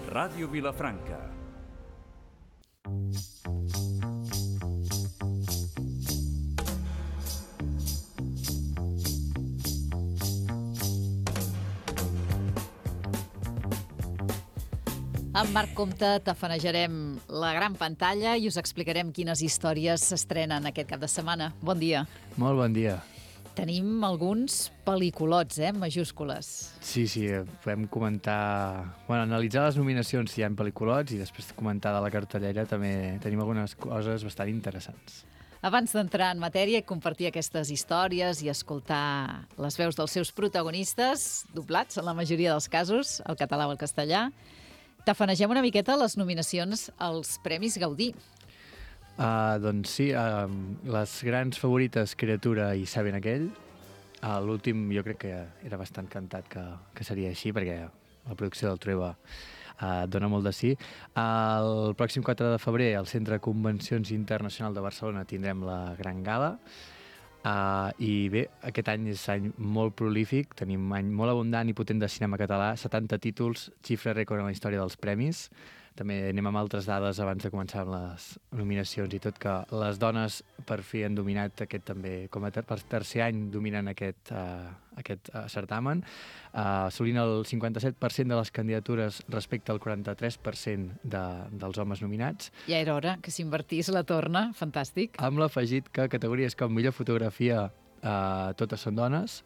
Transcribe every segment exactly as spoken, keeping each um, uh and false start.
Ràdio Vilafranca. Amb Marc Comte tafanejarem la gran pantalla i us explicarem quines històries s'estrenen aquest cap de setmana. Bon dia. Molt bon dia. Tenim alguns pel·liculots, eh, en majúscules. Sí, sí, podem comentar... Bueno, analitzar les nominacions si hi ha pel·liculots i després comentar de la cartellera també tenim algunes coses bastant interessants. Abans d'entrar en matèria i compartir aquestes històries i escoltar les veus dels seus protagonistes, doblats en la majoria dels casos, el català o el castellà, tafanegem una miqueta les nominacions als Premis Gaudí. Uh, doncs sí, uh, les grans favorites Criatura i Saben aquell. Uh, L'últim jo crec que era bastant cantat que, que seria així, perquè la producció del Trueba uh, dona molt de sí. Uh, el pròxim quatre de febrer al Centre de Convencions Internacional de Barcelona tindrem la Gran Gala. Uh, I bé, aquest any és any molt prolífic, tenim un any molt abundant i potent de cinema català, setanta títols, xifra rècord en la història dels premis. També anem amb altres dades abans de començar amb les nominacions i tot, que les dones per fi han dominat aquest també, com a ter per tercer any dominen aquest, uh, aquest uh, certamen, uh, assolint el cinquanta-set per cent de les candidatures respecte al quaranta-tres per cent de, dels homes nominats. Ja era hora que s'invertís la torna, fantàstic. Amb l'afegit que categories com millor fotografia uh, totes són dones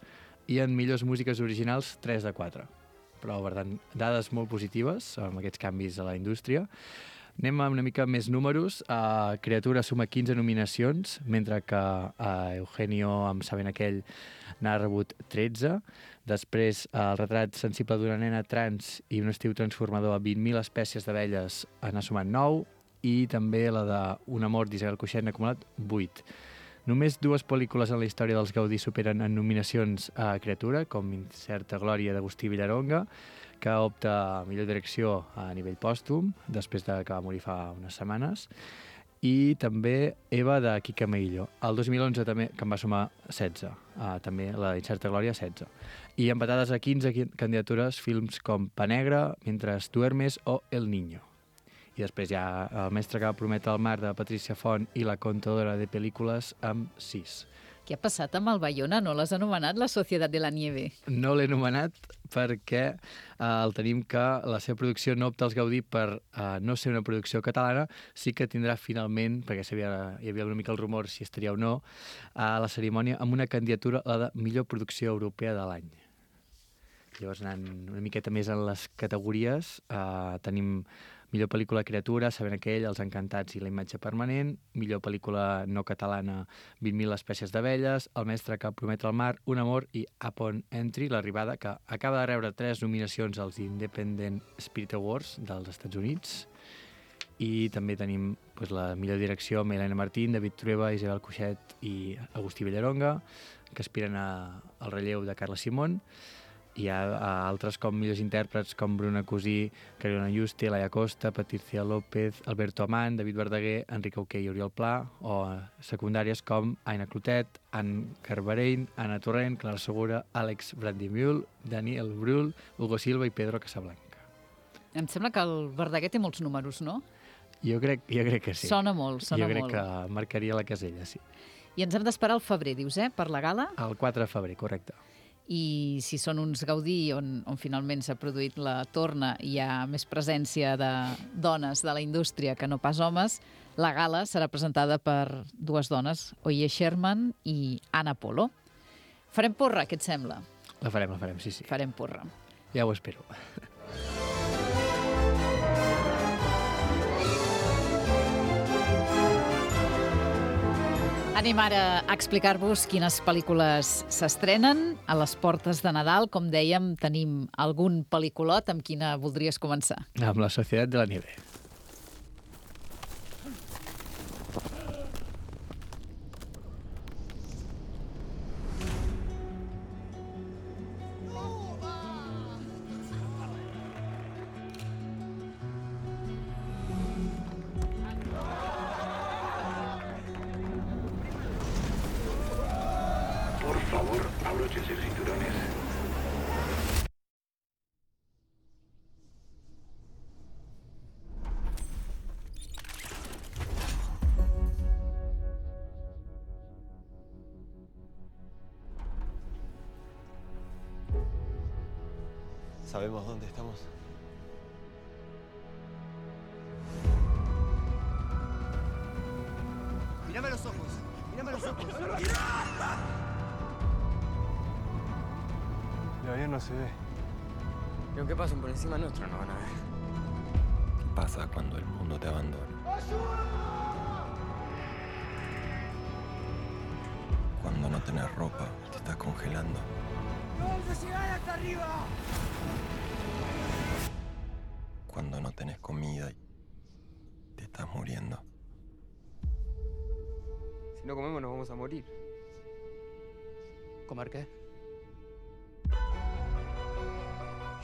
i en millors músiques originals tres de quatre. Però, per tant, dades molt positives amb aquests canvis a la indústria. Anem amb una mica més números. Uh, Criatura suma quinze nominacions, mentre que uh, Eugenio, amb Saben aquell, n'ha rebut tretze. Després, uh, el retrat sensible d'una nena trans i un estiu transformador a vint mil espècies d'abelles n'ha sumat nou, i també la d'Un amor d'Isabel Coixet n'ha acumulat vuit. Només dues pel·lícules en la història dels Gaudí superen en nominacions a Criatura, com Incerta glòria d'Agustí Villaronga, que opta a millor direcció a nivell pòstum, després de que va morir fa unes setmanes, i també Eva de Quique Meillo. El dos mil onze també, que en va sumar setze, uh, també la d'Incerta glòria setze. I empatades a quinze candidatures films com Pa Negra, Mientras duermes o El niño. I després hi ha El mestre que va prometre el mar de Patricia Font i La contadora de pel·lícules amb sis. Què ha passat amb el Bayona? No l'has anomenat La Societat de la Nieve? No l'he anomenat perquè eh, el tenim que la seva producció no opta als Gaudí per eh, no ser una producció catalana, sí que tindrà finalment, perquè hi havia una mica el rumor si estaria o no, a la cerimònia amb una candidatura, la de millor producció europea de l'any. Llavors, anant una miqueta més en les categories, eh, tenim millor pel·lícula Criatura, Saben aquell, Els encantats i La imatge permanent, millor pel·lícula no catalana, vint mil espècies d'abelles, El mestre que promet el mar, Un amor i Upon Entry, l'arribada, que acaba de rebre tres nominacions als Independent Spirit Awards dels Estats Units. I també tenim pues, la millor direcció amb Helena Martín, David Trueba, Isabel Coixet i Agustí Villaronga, que aspiren a, al relleu de Carla Simón. Hi ha uh, altres com millors intèrprets com Bruna Cosí, Carolina Juste, Laia Costa, Patricia López, Alberto Amant, David Verdaguer, Enric Auqué i Oriol Pla, o uh, secundàries com Aina Clotet, Anne Carbarein, Anna Torrent, Clara Segura, Àlex Brandimull, Daniel Brühl, Hugo Silva i Pedro Casablanca. Em sembla que el Verdaguer té molts números, no? Jo crec, jo crec que sí. Sona molt, sona molt. Jo crec molt. Que marcaria la casella, sí. I ens hem d'esperar al febrer, dius, eh, per la gala? El quatre de febrer, correcte. I si són uns Gaudí on, on finalment s'ha produït la torna i hi ha més presència de dones de la indústria que no pas homes, la gala serà presentada per dues dones, Oye Sherman i Anna Polo. Farem porra, què et sembla? La farem, la farem, sí, sí. Farem porra. Ja ho espero. Anem ara a explicar-vos quines pel·lícules s'estrenen a les portes de Nadal. Com dèiem, tenim algun pel·lículot. Amb quina voldries començar? Amb La Societat de la Nieve. Por favor, abróchense el cinturones. ¿Sabemos dónde estamos? Mírame a los ojos. Mírame a los ojos. El avión no se ve. Y aunque pasen por encima nuestro, no van a ver. ¿Qué pasa cuando el mundo te abandona? Cuando no tenés ropa, te estás congelando. ¡Vamos a llegar hasta arriba! Cuando no tenés comida y te estás muriendo. Si no comemos nos vamos a morir. ¿Comer qué?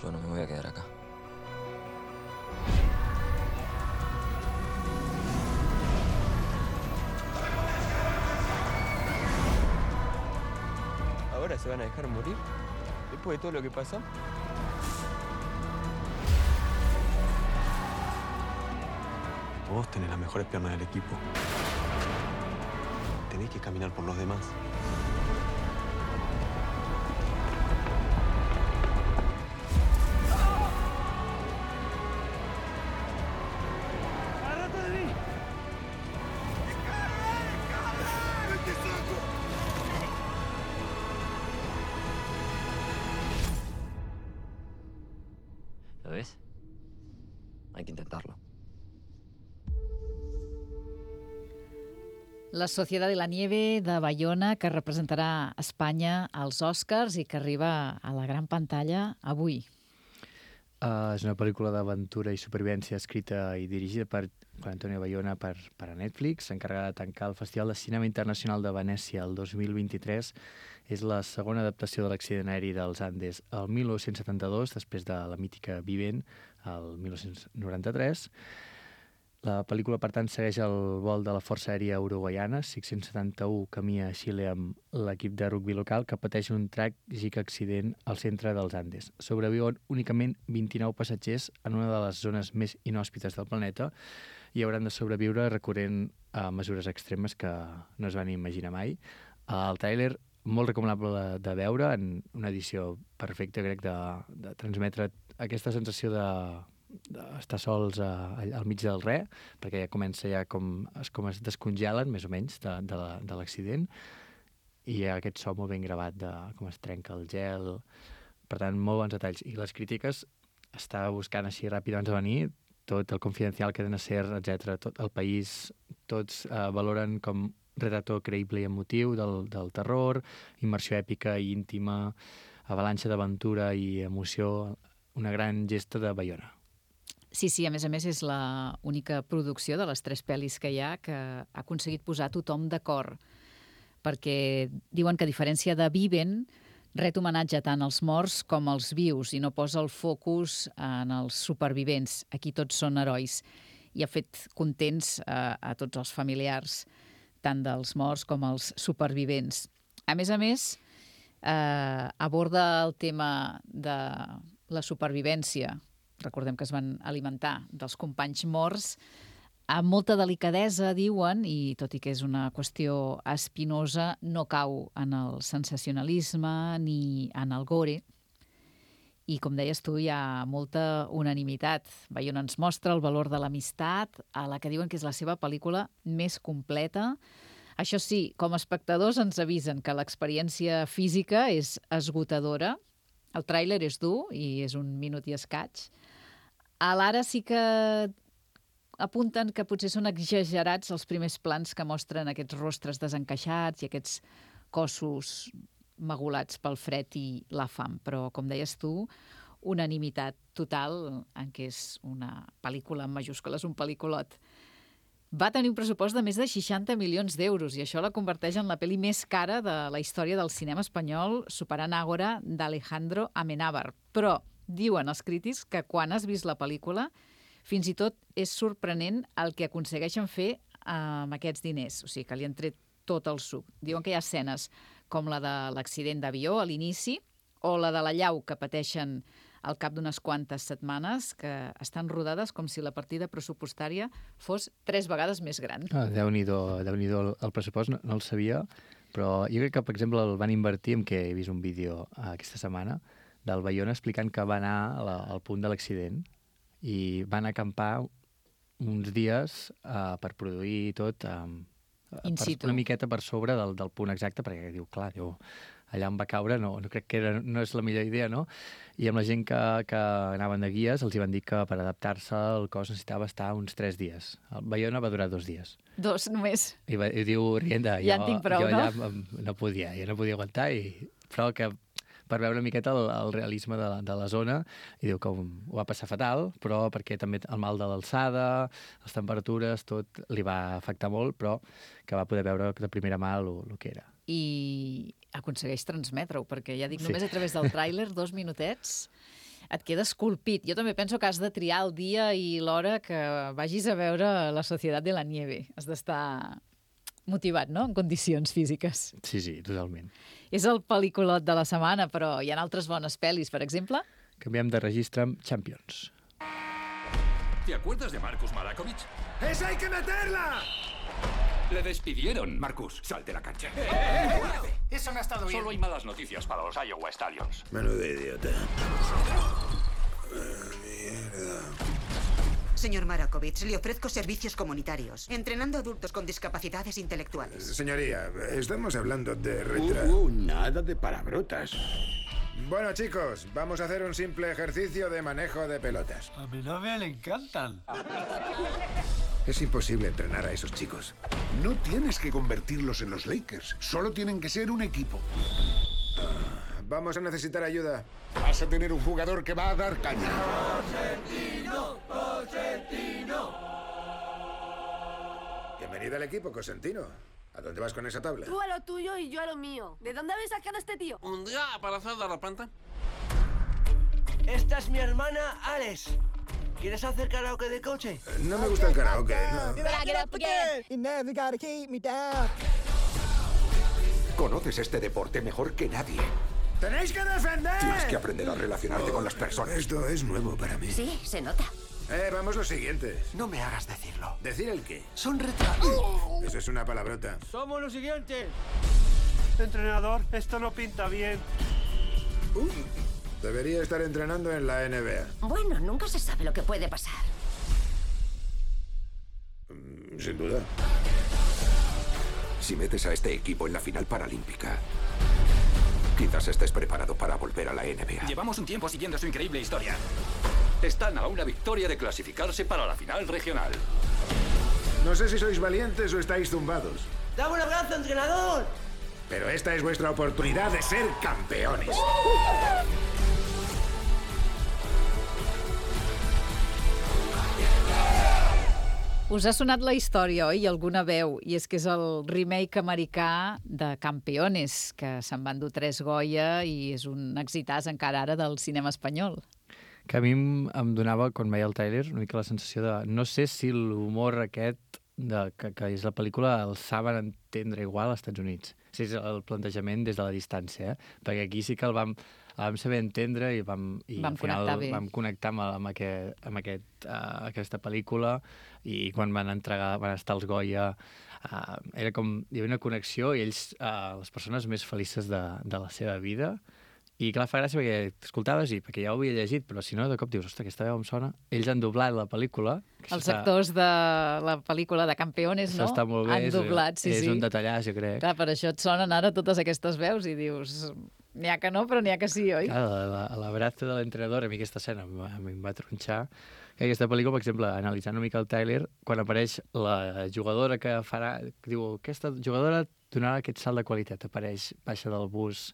Yo no me voy a quedar acá. ¿Ahora se van a dejar morir? ¿Después de todo lo que pasó? Vos tenés las mejores piernas del equipo. Tenés que caminar por los demás. ¿Lo ves? Hay que intentarlo. La Sociedad de la Nieve de Bayona, que representarà Espanya als Oscars i que arriba a la gran pantalla avui. Uh, és una pel·lícula d'aventura i supervivència escrita i dirigida per Juan Antonio Bayona per, per a Netflix, encarregada de tancar el Festival de Cinema Internacional de Venècia el dos mil vint-i-tres. És la segona adaptació de l'accident aeri dels Andes el mil nou-cents setanta-dos, després de la mítica Vivent, el mil nou-cents noranta-tres. La pel·lícula, per tant, segueix el vol de la Força Aèria Uruguaiana, cinc-cents setanta-u, camí a Xile amb l'equip de rugbi local, que pateix un tràgic accident al centre dels Andes. Sobreviuen únicament vint-i-nou passatgers en una de les zones més inhòspites del planeta i hauran de sobreviure recorrent a mesures extremes que no es van imaginar mai. El tràiler, molt recomanable de veure, en una edició perfecta, crec, de, de transmetre aquesta sensació de d'estar sols a, al mig del res, perquè ja comença ja com es, com es descongelen, més o menys, de, de, la, de l'accident, i hi ha aquest so molt ben gravat de com es trenca el gel. Per tant, molt bons detalls. I les crítiques, estava buscant així ràpid abans de venir, tot el Confidencial, Cadena Ser, etcètera, tot el País, tots eh, valoren com retrato creïble i emotiu del, del terror, immersió èpica i íntima, avalanxa d'aventura i emoció, una gran gesta de Bayona. Sí, sí, a més a més és l'única producció de les tres pel·lis que hi ha que ha aconseguit posar tothom d'acord, perquè diuen que a diferència de Viven, ret homenatge tant als morts com als vius i no posa el focus en els supervivents. Aquí tots són herois i ha fet contents a, a tots els familiars, tant dels morts com els supervivents. A més a més, eh, aborda el tema de la supervivència. Recordem que es van alimentar dels companys morts amb molta delicadesa, diuen, i tot i que és una qüestió espinosa, no cau en el sensacionalisme ni en el gore. I, com deies tu, hi ha molta unanimitat. Bayona ens mostra el valor de l'amistat, a la que diuen que és la seva pel·lícula més completa. Això sí, com a espectadors ens avisen que l'experiència física és esgotadora. El tràiler és dur i és un minut i escaig. A l'ara sí que apunten que potser són exagerats els primers plans que mostren aquests rostres desencaixats i aquests cossos magulats pel fred i la fam. Però, com deies tu, unanimitat total en què és una pel·lícula en majúscules, un pel·lículot. Va tenir un pressupost de més de seixanta milions d'euros i això la converteix en la pel·li més cara de la història del cinema espanyol, superant Ágora d'Alejandro Amenábar. Però diuen els crítics que quan has vist la pel·lícula fins i tot és sorprenent el que aconsegueixen fer amb aquests diners. O sigui, que li han tret tot el suc. Diuen que hi ha escenes com la de l'accident d'avió a l'inici o la de la llau que pateixen al cap d'unes quantes setmanes, que estan rodades com si la partida pressupostària fos tres vegades més gran. Ah, Déu-n'hi-do, Déu-n'hi-do el, el pressupost, no, no el sabia, però jo crec que, per exemple, el van invertir, en què he vist un vídeo aquesta setmana, del Bayona explicant que va anar a la, al punt de l'accident i van acampar uns dies uh, per produir tot um, In per, situ. una miqueta per sobre del, del punt exacte, perquè diu, clar, diu, allà on va caure no, no crec que era, no és la millor idea, no? I amb la gent que, que anaven de guies els hi van dir que per adaptar-se el cos necessitava estar uns tres dies. El Bayona va durar dos dies. Dos només. I, va, i diu, Rienda, Ja jo, en tinc prou, jo allà no? no? no podia, jo no podia aguantar, i, però que per veure una miqueta el, el realisme de, la- de la zona, i diu que ho, ho va passar fatal, però perquè també el mal de l'alçada, les temperatures, tot li va afectar molt, però que va poder veure de primera mà el, el que era. I aconsegueix transmetre-ho, perquè ja dic, Sí. només a través del tràiler, dos minutets, et queda esculpit. Jo també penso que has de triar el dia i l'hora que vagis a veure La Societat de la Nieve. Has d'estar motivat, no?, en condicions físiques. Sí, sí, totalment. És el pel·lículot de la setmana, però hi ha altres bones pel·lis, per exemple. Canviem de registre amb Champions. ¿Te acuerdas de Marcus Malakovich? ¡Esa hay que meterla! Le despidieron. Marcus, sal de la cancha. Eso no ha estado bien. Solo hay malas noticias para los Iowa Stallions. Menudo idiota. Señor Marakovich, le ofrezco servicios comunitarios, entrenando adultos con discapacidades intelectuales. Señoría, estamos hablando de retra... Uh, uh, nada de palabrotas. Bueno, chicos, vamos a hacer un simple ejercicio de manejo de pelotas. A mi novia le encantan. Es imposible entrenar a esos chicos. No tienes que convertirlos en los Lakers. Solo tienen que ser un equipo. Vamos a necesitar ayuda. Vas a tener un jugador que va a dar caña. Bienvenido al equipo, Cosentino. ¿A dónde vas con esa tabla? Tú a lo tuyo y yo a lo mío. ¿De dónde habéis sacado a este tío? Un día apareció de repente. Esta es mi hermana Alex. ¿Quieres hacer karaoke de coche? No me gusta el karaoke, no. Conoces este deporte mejor que nadie. ¡Tenéis que defender! Tienes que aprender a relacionarte con las personas. Esto es nuevo para mí. Sí, se nota. Eh, vamos lo siguiente. No me hagas decirlo. ¿Decir el qué? Son retrasos. Eso es una palabrota. Somos los siguientes. Entrenador, esto no pinta bien. Uh, debería estar entrenando en la N B A. Bueno, nunca se sabe lo que puede pasar. Mm, Sin duda. Si metes a este equipo en la final paralímpica, quizás estés preparado para volver a la N B A. Llevamos un tiempo siguiendo su increíble historia. Están a una victoria de clasificarse para la final regional. No sé si sois valientes o estáis zumbados, ¡Dame un abrazo, entrenador! pero esta es vuestra oportunidad de ser campeones. Us ha sonat la història, oi? I alguna veu. I és que és el remake americà de Campeones, que se'n van dur tres Goya i és un exitàs encara ara del cinema espanyol. Que a mi em, em donava, quan veia el tràiler, una mica la sensació de... No sé si l'humor aquest de, que, que és la pel·lícula el saben entendre igual als Estats Units. Si és el plantejament des de la distància, eh? Perquè aquí sí que el vam, el vam saber entendre i vam, i Vam al final connectar bé. vam connectar amb, amb, aquest, amb aquest, uh, aquesta pel·lícula, i quan van entregar, van estar els Goya, uh, era com, hi havia una connexió, i ells, uh, les persones més felices de, de la seva vida. I clar, fa gràcia perquè t'escoltaves i perquè ja ho havia llegit, però si no, de cop dius, ostres, aquesta veu em sona. Ells han doblat la pel·lícula. que Els està- actors de la pel·lícula de Campeones, Això no? està molt bé. Han és- doblat, sí, és sí. un detallàs, jo crec. Clar, per això et sonen ara totes aquestes veus i dius... N'hi ha que no, però n'hi ha que sí, oi? Clar, la, la, l'abrazo de l'entrenador, a mi aquesta escena em, va- a mi em va tronxar. Que aquesta pel·lícula, per exemple, analitzant una mica el tràiler, quan apareix la jugadora que farà... Que diu, aquesta jugadora donarà aquest salt de qualitat. Apareix, baixa del bus,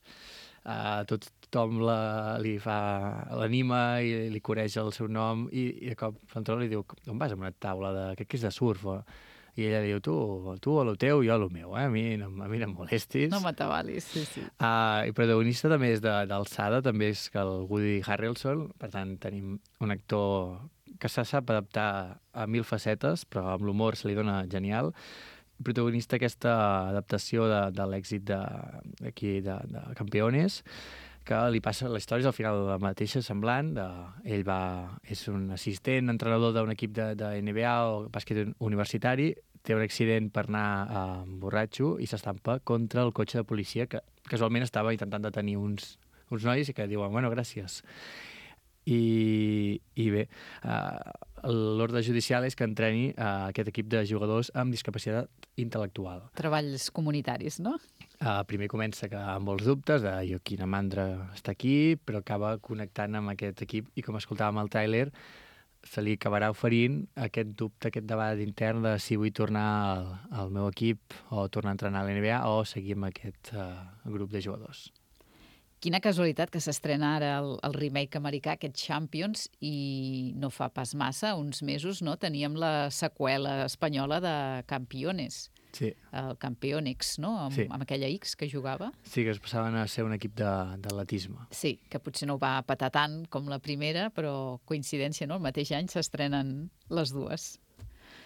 uh, tot, tothom la, li fa l'anima i li coreja el seu nom, i, i de cop l'entrenador li diu, on vas amb una taula de... Crec que és de surf, o... I ella diu, tu, tu a lo teu, jo a lo meu, eh? A mi no, a mi no em molestis. No m'atabalis, sí, sí. Uh, I protagonista també és de- d'alçada, també és que el Woody Harrelson, per tant tenim un actor que se sap adaptar a mil facetes, però amb l'humor se li dona genial. Protagonista aquesta adaptació de, de l'èxit de, aquí de, de Campeones, que li passa, la història és al final la mateixa, semblant. De, ell va, és un assistent, entrenador d'un equip de, de N B A o bàsquet universitari, té un accident per anar a borratxo i s'estampa contra el cotxe de policia que casualment estava intentant detenir uns, uns nois que diuen, bueno, gràcies. I, i bé, uh, l'ordre judicial és que entreni uh, aquest equip de jugadors amb discapacitat intel·lectual. Treballs comunitaris, no? Uh, primer comença que amb molts dubtes de jo, quina mandra està aquí, però acaba connectant amb aquest equip i com escoltàvem al tràiler, se li acabarà oferint aquest dubte, aquest debat intern de si vull tornar al, al meu equip o tornar a entrenar a l'N B A o seguir amb aquest uh, grup de jugadors. Quina casualitat que s'estrena ara el, el remake americà, aquest Champions, i no fa pas massa, uns mesos, no? Teníem la seqüela espanyola de Campeones. Sí. El Campeonex, no? Amb, sí. amb aquella X que jugava. Sí, que es passaven a ser un equip d'atletisme. Sí, que potser no va petar tant com la primera, però coincidència, no? El mateix any s'estrenen les dues.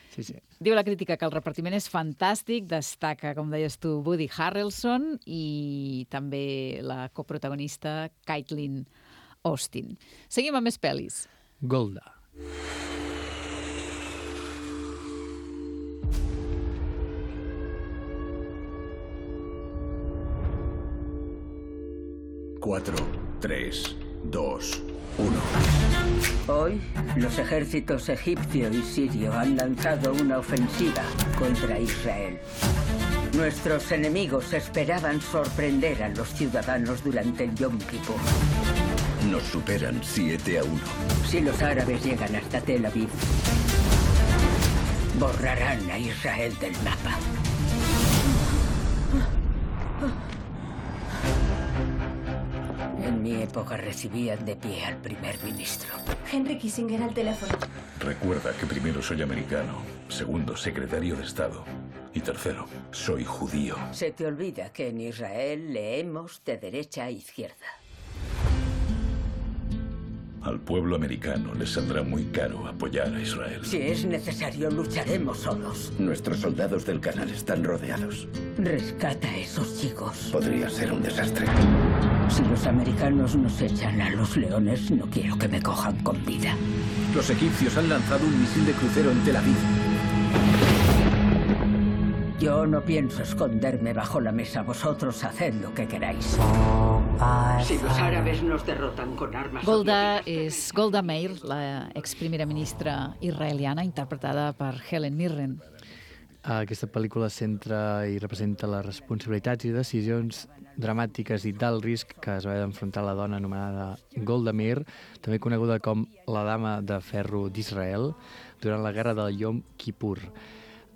Sí, sí. Diu la crítica que el repartiment és fantàstic, destaca, com deies tu, Woody Harrelson i també la coprotagonista Caitlin Austin. Seguim amb més pel·lis. Golda. Cuatro, tres, dos, uno. Hoy, los ejércitos egipcio y sirio han lanzado una ofensiva contra Israel. Nuestros enemigos esperaban sorprender a los ciudadanos durante el Yom Kippur. Nos superan siete a uno. Si los árabes llegan hasta Tel Aviv, borrarán a Israel del mapa. En mi época recibían de pie al primer ministro. Henry Kissinger al teléfono. Recuerda que primero soy americano, segundo secretario de Estado y tercero soy judío. Se te olvida que en Israel leemos de derecha a izquierda. Al pueblo americano les saldrá muy caro apoyar a Israel. Si es necesario, lucharemos solos. Nuestros soldados del canal están rodeados. Rescata a esos chicos. Podría ser un desastre. Si los americanos nos echan a los leones, no quiero que me cojan con vida. Los egipcios han lanzado un misil de crucero en Tel Aviv. Yo no pienso esconderme bajo la mesa. Vosotros haced lo que queráis. Si los árabes nos derrotan con armas... Golda és Golda Meir, la ex-primera ministra israeliana, interpretada per Helen Mirren. Aquesta pel·lícula centra i representa les responsabilitats i decisions dramàtiques i d'alt risc que es va haver d'enfrontar la dona anomenada Golda Meir, també coneguda com la Dama de Ferro d'Israel, durant la guerra del Yom Kippur.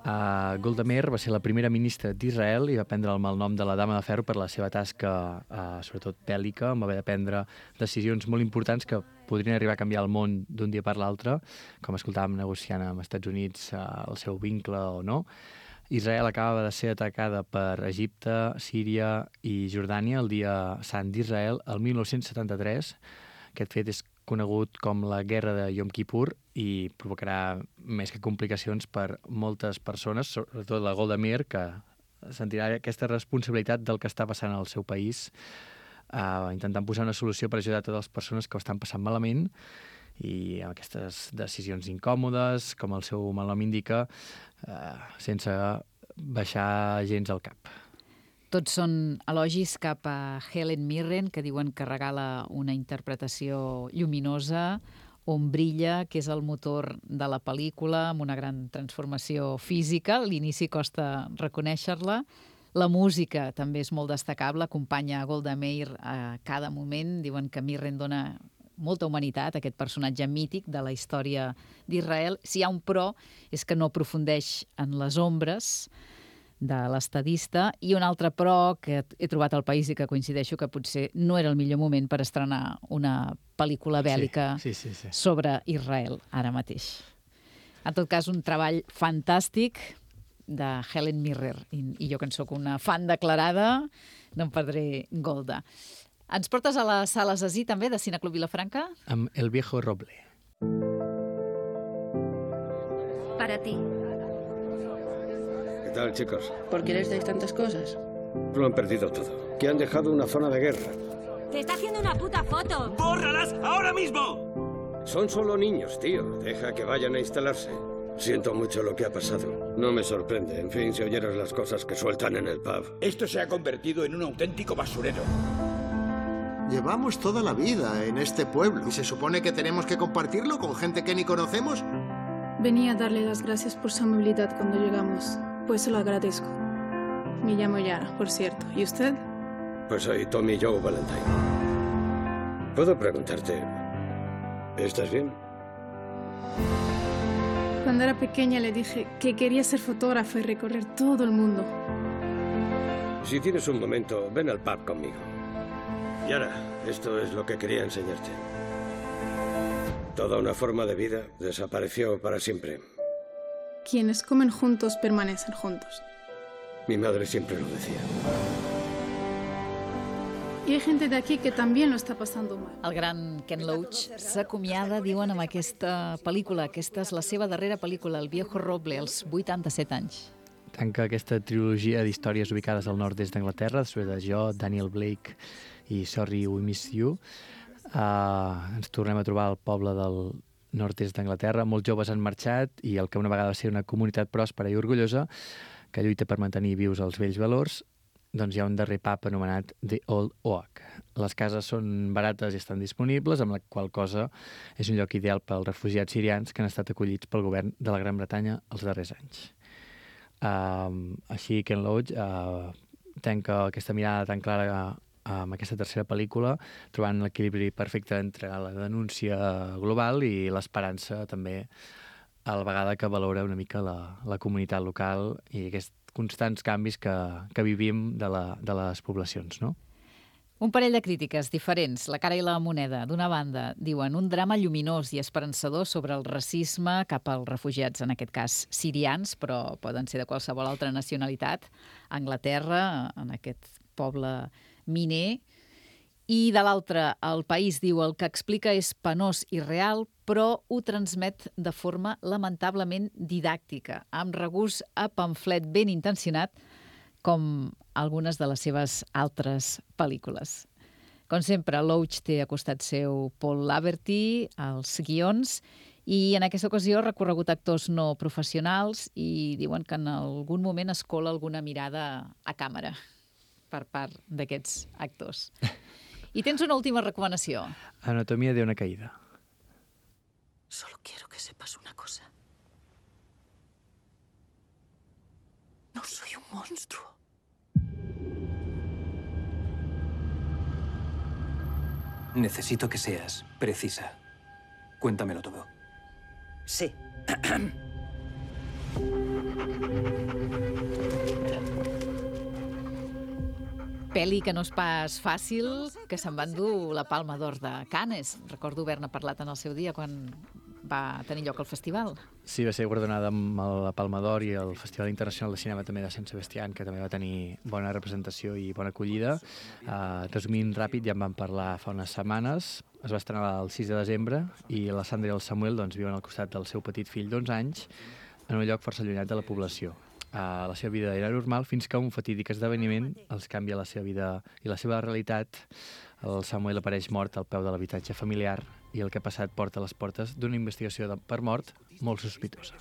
Uh, Golda Meir va ser la primera ministra d'Israel i va prendre el malnom de la Dama de Ferro per la seva tasca, uh, sobretot bèl·lica, on va haver de prendre decisions molt importants que podrien arribar a canviar el món d'un dia per l'altre, com escoltàvem negociant amb els Estats Units uh, el seu vincle o no. Israel acabava de ser atacada per Egipte, Síria i Jordània el dia sant d'Israel el mil nou-cents setanta-tres. Aquest fet és conegut com la Guerra de Yom Kippur i provocarà més que complicacions per moltes persones, sobretot la Golda Meir, que sentirà aquesta responsabilitat del que està passant al seu país, uh, intentant posar una solució per ajudar a totes les persones que ho estan passant malament i amb aquestes decisions incòmodes, com el seu malnom indica, uh, sense baixar gens al cap. Tots són elogis cap a Helen Mirren, que diuen que regala una interpretació lluminosa, on brilla, que és el motor de la pel·lícula, amb una gran transformació física. A l'inici costa reconèixer-la. La música també és molt destacable, acompanya Golda Meir a cada moment. Diuen que Mirren dona molta humanitat a aquest personatge mític de la història d'Israel. Si hi ha un però, és que no aprofundeix en les ombres de l'estadista, i un altre però que he trobat al país i que coincideixo que potser no era el millor moment per estrenar una pel·lícula bèl·lica sí, sí, sí, sí. sobre Israel ara mateix. En tot cas, un treball fantàstic de Helen Mirren, i, i jo que en sóc una fan declarada, no em perdré Golda. Ens portes a les sales Así també, de Cineclub Vilafranca? Amb El viejo roble. Para ti. ¿Qué tal, chicos? ¿Por qué les dais tantas cosas? Lo han perdido todo. Que han dejado una zona de guerra. ¡Te está haciendo una puta foto! ¡Bórralas ahora mismo! Son solo niños, tío. Deja que vayan a instalarse. Siento mucho lo que ha pasado. No me sorprende. En fin, si oyeras las cosas que sueltan en el pub. Esto se ha convertido en un auténtico basurero. Llevamos toda la vida en este pueblo y se supone que tenemos que compartirlo con gente que ni conocemos. Venía a darle las gracias por su amabilidad cuando llegamos, pues se lo agradezco. Me llamo Yara, por cierto. ¿Y usted? Pues soy Tommy Joe Valentine. ¿Puedo preguntarte, ¿estás bien? Cuando era pequeña le dije que quería ser fotógrafa y recorrer todo el mundo. Si tienes un momento, ven al pub conmigo. Yara, esto es lo que quería enseñarte. Toda una forma de vida desapareció para siempre. Quienes comen juntos permanecen juntos. Mi madre siempre lo decía. I hay gente d'aquí que també lo està passant mal. El gran Ken Loach s'acomiada, diuen, amb aquesta pel·lícula. Aquesta és la seva darrera pel·lícula, El viejo roble, als vuitanta-set anys. Tanca aquesta trilogia d'històries ubicades al nord-est d'Anglaterra, després de Jo, Daniel Blake i Sorry We Miss You. Uh, ens tornem a trobar al poble del nord-est d'Anglaterra. Molts joves han marxat i el que una vegada va ser una comunitat pròspera i orgullosa que lluita per mantenir vius els vells valors, doncs hi ha un darrer pub anomenat The Old Oak. Les cases són barates i estan disponibles, amb la qual cosa és un lloc ideal pels refugiats sirians que han estat acollits pel govern de la Gran Bretanya els darrers anys. Uh, així, Ken Loach uh, tanca aquesta mirada tan clara uh, amb aquesta tercera pel·lícula, trobant l'equilibri perfecte entre la denúncia global i l'esperança també, a la vegada que valora una mica la, la comunitat local i aquests constants canvis que, que vivim de, la, de les poblacions, no? Un parell de crítiques diferents, la cara i la moneda. D'una banda, diuen un drama lluminós i esperançador sobre el racisme cap als refugiats, en aquest cas sirians, però poden ser de qualsevol altra nacionalitat, a Anglaterra, en aquest poble miner. I de l'altre, El País diu el que explica és penós i real, però ho transmet de forma lamentablement didàctica, amb regust a pamflet ben intencionat, com algunes de les seves altres pel·lícules. Com sempre, Loach té a costat seu Paul Laverty, als guions, i en aquesta ocasió ha recorregut actors no professionals i diuen que en algun moment es cola alguna mirada a càmera per part d'aquests actors. I tens una última recomanació. Anatomía de una caída. Solo quiero que sepas una cosa. No soy un monstruo. Necesito que seas precisa. Cuéntamelo todo. Sí. Pel·li que no és pas fàcil, que se'n va endur la Palma d'Or de Cannes. Recordo haver-ne parlat en el seu dia quan va tenir lloc al festival. Sí, va ser guardonada amb la Palma d'Or i el Festival Internacional de Cinema també de Sant Sebastián, que també va tenir bona representació i bona acollida. Uh, resumint ràpid, ja en vam parlar fa unes setmanes. Es va estrenar el sis de desembre i la Sandra i el Samuel doncs, viuen al costat del seu petit fill d'onze anys en un lloc força allunyat de la població. Uh, la seva vida era normal fins que un fatídic esdeveniment els canvia la seva vida i la seva realitat. El Samuel apareix mort al peu de l'habitatge familiar i el que ha passat porta a les portes d'una investigació de, per mort molt sospitosa.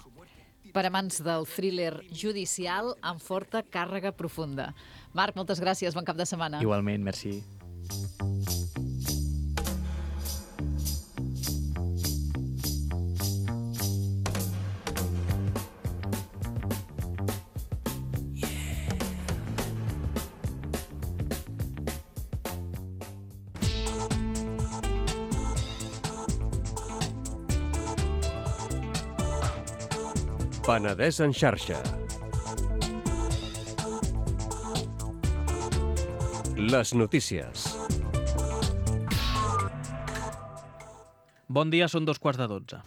Per amants del thriller judicial amb forta càrrega profunda. Marc, moltes gràcies, bon cap de setmana. Igualment, merci. Penedès en xarxa. Les notícies. Bon dia, són dos quarts de dotze.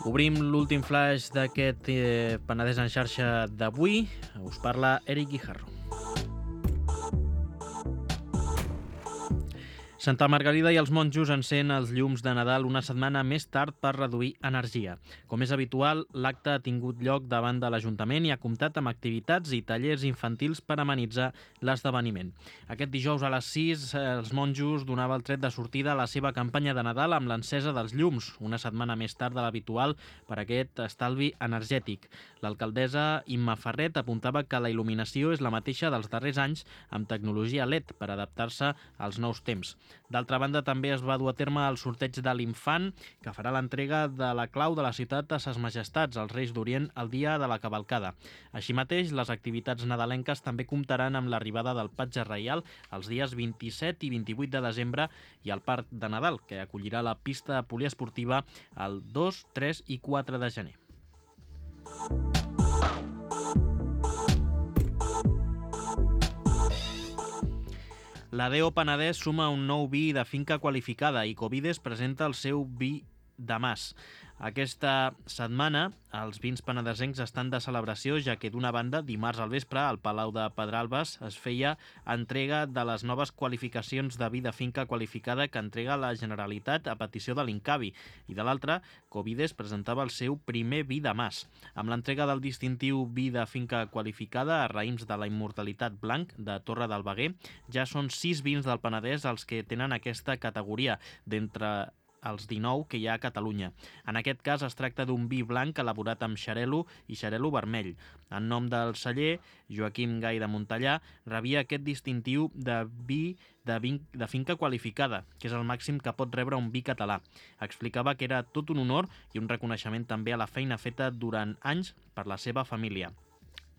Obrim l'últim flash d'aquest eh, Penedès en xarxa d'avui. Us parla Eric Guijarro. Santa Margarida i els monjos encén els llums de Nadal una setmana més tard per reduir energia. Com és habitual, l'acte ha tingut lloc davant de l'Ajuntament i ha comptat amb activitats i tallers infantils per amenitzar l'esdeveniment. Aquest dijous a les sis, els monjos donava el tret de sortida a la seva campanya de Nadal amb l'encesa dels llums, una setmana més tard de l'habitual per aquest estalvi energètic. L'alcaldessa Imma Ferret apuntava que la il·luminació és la mateixa dels darrers anys amb tecnologia L E D per adaptar-se als nous temps. D'altra banda, també es va dur a terme el sorteig de l'Infant, que farà l'entrega de la clau de la ciutat a Ses Majestats, als Reis d'Orient, el dia de la cavalcada. Així mateix, les activitats nadalenques també comptaran amb l'arribada del Patge Reial els dies vint-i-set i vint-i-vuit de desembre i el Parc de Nadal, que acollirà la pista poliesportiva el dos, tres i quatre de gener. La D E O Penedès suma un nou vi de finca qualificada i Covides presenta el seu vi de mas. Aquesta setmana els vins penedesencs estan de celebració, ja que d'una banda, dimarts al vespre, al Palau de Pedralbes es feia entrega de les noves qualificacions de vi de finca qualificada que entrega la Generalitat a petició de l'Incavi, i de l'altra, Covides presentava el seu primer vi de mas. Amb l'entrega del distintiu vi de finca qualificada a raïms de la Immortalitat Blanc de Torre del Veguer, ja són sis vins del Penedès els que tenen aquesta categoria, d'entre els dinou que hi ha a Catalunya. En aquest cas es tracta d'un vi blanc elaborat amb xarel·lo i xarel·lo vermell. En nom del celler, Joaquim Gai de Montellà rebia aquest distintiu de vi de, vin de finca qualificada, que és el màxim que pot rebre un vi català. Explicava que era tot un honor i un reconeixement també a la feina feta durant anys per la seva família.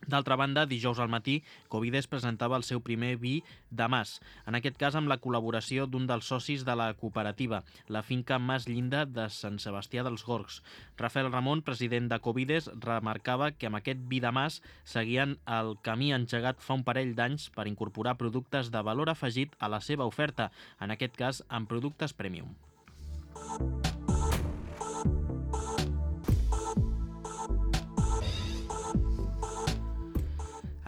D'altra banda, dijous al matí, Covides presentava el seu primer vi de mas, en aquest cas amb la col·laboració d'un dels socis de la cooperativa, la finca Mas Llinda de Sant Sebastià dels Gorgs. Rafael Ramon, president de Covides, remarcava que amb aquest vi de mas seguien el camí engegat fa un parell d'anys per incorporar productes de valor afegit a la seva oferta, en aquest cas amb productes premium.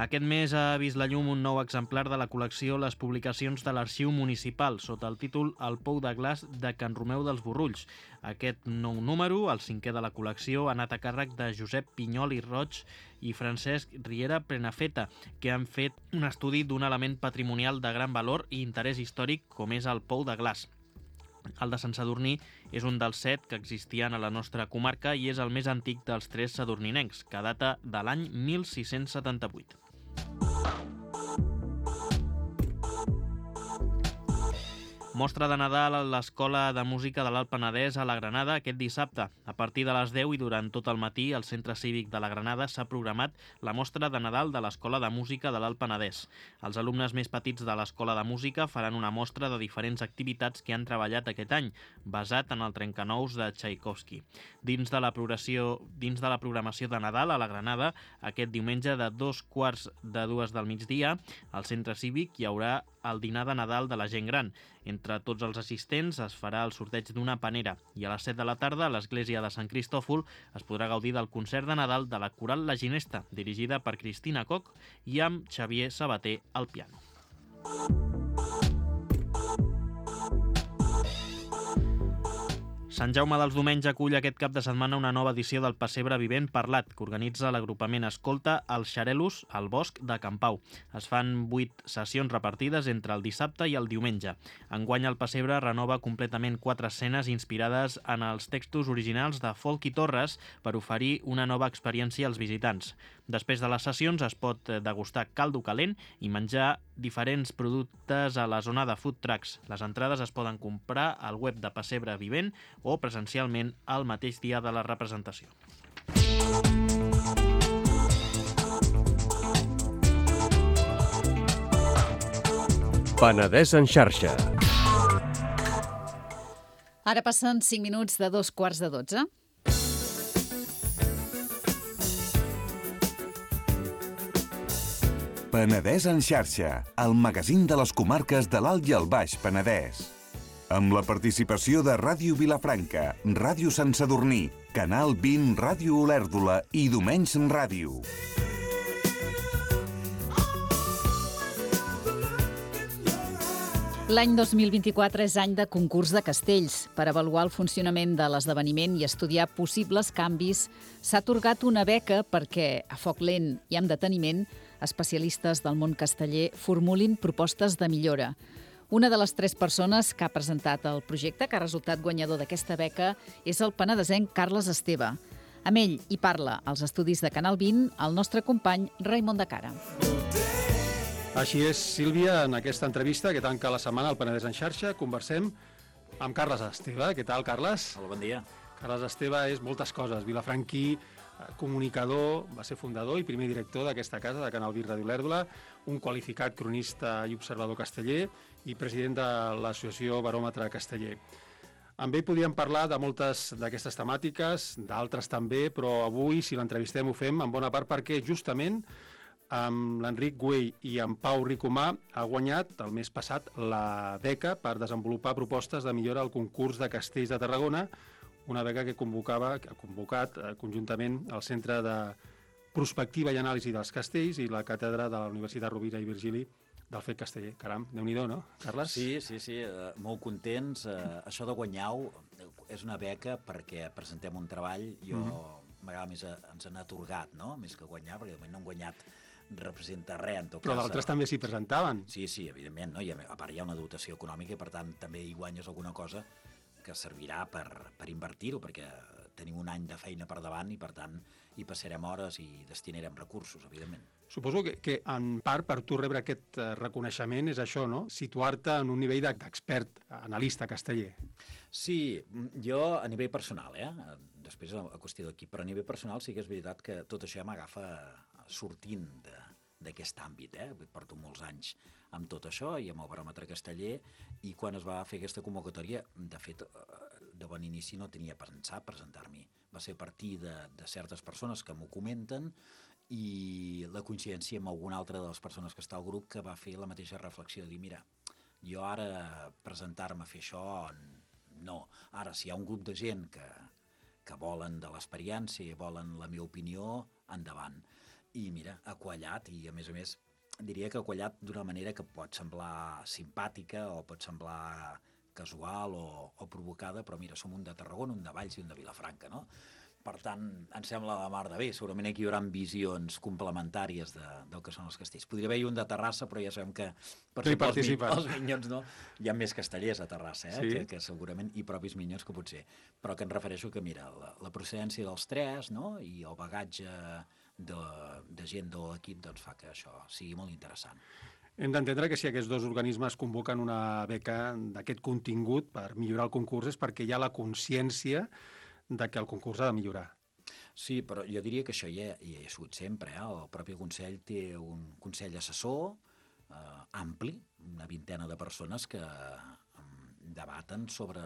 Aquest mes ha vist la llum un nou exemplar de la col·lecció Les publicacions de l'Arxiu Municipal, sota el títol El pou de glaç de Can Romeu dels Borrulls. Aquest nou número, el cinquè de la col·lecció, ha anat a càrrec de Josep Pinyol i Roig i Francesc Riera Prenafeta, que han fet un estudi d'un element patrimonial de gran valor i interès històric com és el pou de glaç. El de Sant Sadurní és un dels set que existien a la nostra comarca i és el més antic dels tres sadurninencs, que data de l'any mil sis-cents setanta-vuit. Mostra de Nadal a l'Escola de Música de l'Alt Penedès a la Granada aquest dissabte. A partir de les deu i durant tot el matí, al Centre Cívic de la Granada s'ha programat la mostra de Nadal de l'Escola de Música de l'Alt Penedès. Els alumnes més petits de l'Escola de Música faran una mostra de diferents activitats que han treballat aquest any, basat en el trencanous de Tchaikovsky. Dins de la programació, dins de la programació de Nadal a la Granada, aquest diumenge de dos quarts de dues del migdia, al Centre Cívic hi haurà el dinar de Nadal de la gent gran. Entre tots els assistents es farà el sorteig d'una panera i a les set de la tarda a l'església de Sant Cristòfol es podrà gaudir del concert de Nadal de la Coral La Ginesta, dirigida per Cristina Koch i amb Xavier Sabater al piano. Sant Jaume dels Domenys acull aquest cap de setmana una nova edició del Pessebre Vivent Parlat, que organitza l'agrupament Escolta els Xarelos al Bosc de Can Pau. Es fan vuit sessions repartides entre el dissabte i el diumenge. Enguany el Pessebre renova completament quatre escenes inspirades en els textos originals de Folk i Torres per oferir una nova experiència als visitants. Després de les sessions es pot degustar caldo calent i menjar diferents productes a la zona de food trucks. Les entrades es poden comprar al web de Pessebre Vivent o presencialment el mateix dia de la representació. Penedès en xarxa. Ara passen cinc minuts de dos quarts de dotze. Penedès en xarxa, el magazín de les comarques de l'Alt i el Baix Penedès. Amb la participació de Ràdio Vilafranca, Ràdio Sant Sadurní, Canal vint, Ràdio Olèrdola i Domenys Ràdio. L'any dos mil vint-i-quatre és any de concurs de castells. Per avaluar el funcionament de l'esdeveniment i estudiar possibles canvis, s'ha atorgat una beca perquè, a foc lent i amb deteniment, especialistes del món casteller formulin propostes de millora. Una de les tres persones que ha presentat el projecte, que ha resultat guanyador d'aquesta beca, és el penedesenc Carles Esteve. Amb ell hi parla als estudis de Canal vint el nostre company Raimon de Cara. Així és, Sílvia, en aquesta entrevista que tanca la setmana al Penedès en xarxa, conversem amb Carles Esteve. Què tal, Carles? Hola, bon dia. Carles Esteve és moltes coses. Vilafranquí, comunicador, va ser fundador i primer director d'aquesta casa, de Canal vint Ràdio Olèrdola, un qualificat cronista i observador casteller i president de l'associació Baròmetre Casteller. Amb ell podíem parlar de moltes d'aquestes temàtiques, d'altres també, però avui, si l'entrevistem, ho fem en bona part perquè justament amb l'Enric Güell i amb Pau Ricomà ha guanyat el mes passat la beca per desenvolupar propostes de millora al concurs de castells de Tarragona, una beca que convocava, que ha convocat eh, conjuntament el Centre de Prospectiva i Anàlisi dels Castells i la Càtedra de la Universitat Rovira i Virgili del Fet Casteller. Caram, Déu-n'hi-do, no, Carles? Sí, sí, sí, eh, molt contents. Eh, això de guanyar-ho és una beca perquè presentem un treball. Jo, mm-hmm. m'agrada més, eh, ens han atorgat, no?, més que guanyar, perquè de moment no han guanyat representa res, en tot cas. Però d'altres també s'hi presentaven. Sí, sí, evidentment, no? I a part hi ha una dotació econòmica i per tant també hi guanyes alguna cosa que servirà per, per invertir-ho, perquè tenim un any de feina per davant i per tant hi passarem hores i destinarem recursos, evidentment. Suposo que, que en part per tu rebre aquest reconeixement és això, no? Situar-te en un nivell d'expert, analista casteller. Sí, jo a nivell personal, eh? Després a qüestió d'equip, però a nivell personal sí que és veritat que tot això ja m'agafa sortint d'aquest àmbit. Eh? Porto molts anys amb tot això i amb el Baròmetre Casteller i quan es va fer aquesta convocatòria, de fet, de bon inici no tenia pensat presentar-m'hi. Va ser a partir de, de certes persones que m'ho comenten i la coincidència amb alguna altra de les persones que està al grup que va fer la mateixa reflexió de dir, mira, jo ara presentar-me a fer això, no. Ara, si hi ha un grup de gent que, que volen de l'experiència i volen la meva opinió, endavant. I mira, ha quallat i a més a més diria que ha quallat d'una manera que pot semblar simpàtica o pot semblar casual o, o provocada, però mira, som un de Tarragona, un de Valls i un de Vilafranca, no? Per tant, em sembla la mar de bé. Segurament aquí hi haurà visions complementàries de, del que són els castells. Podria haver-hi un de Terrassa, però ja sabem que per sí, els, els minyons no, hi ha més castellers a Terrassa, eh? Sí. que, que segurament hi propis minyons que potser. Però que em refereixo que, mira, la, la procedència dels tres, no?, i el bagatge de, de gent de l'equip doncs, fa que això sigui molt interessant. Hem d'entendre que si aquests dos organismes convoquen una beca d'aquest contingut per millorar el concurs és perquè hi ha la consciència de que el concurs ha de millorar. Sí, però jo diria que això hi ha, hi ha sigut sempre. Eh? El propi Consell té un Consell assessor eh, ampli, una vintena de persones que eh, debaten sobre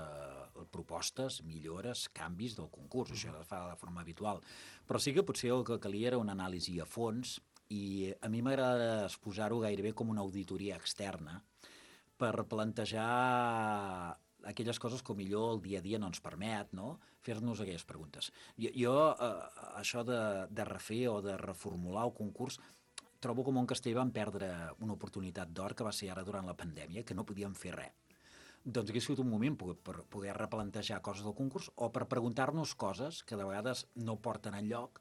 propostes, millores, canvis del concurs. Això es fa de forma habitual. Però sí que potser el que calia era una anàlisi a fons i a mi m'agrada exposar-ho gairebé com una auditoria externa per plantejar aquelles coses que millor el dia a dia no ens permet, no?, fer-nos aquelles preguntes. Jo, jo eh, això de, de refer o de reformular el concurs trobo com un castell vam perdre una oportunitat d'or que va ser ara durant la pandèmia, que no podíem fer res. Doncs hauria sigut un moment per poder replantejar coses del concurs o per preguntar-nos coses que de vegades no porten enlloc,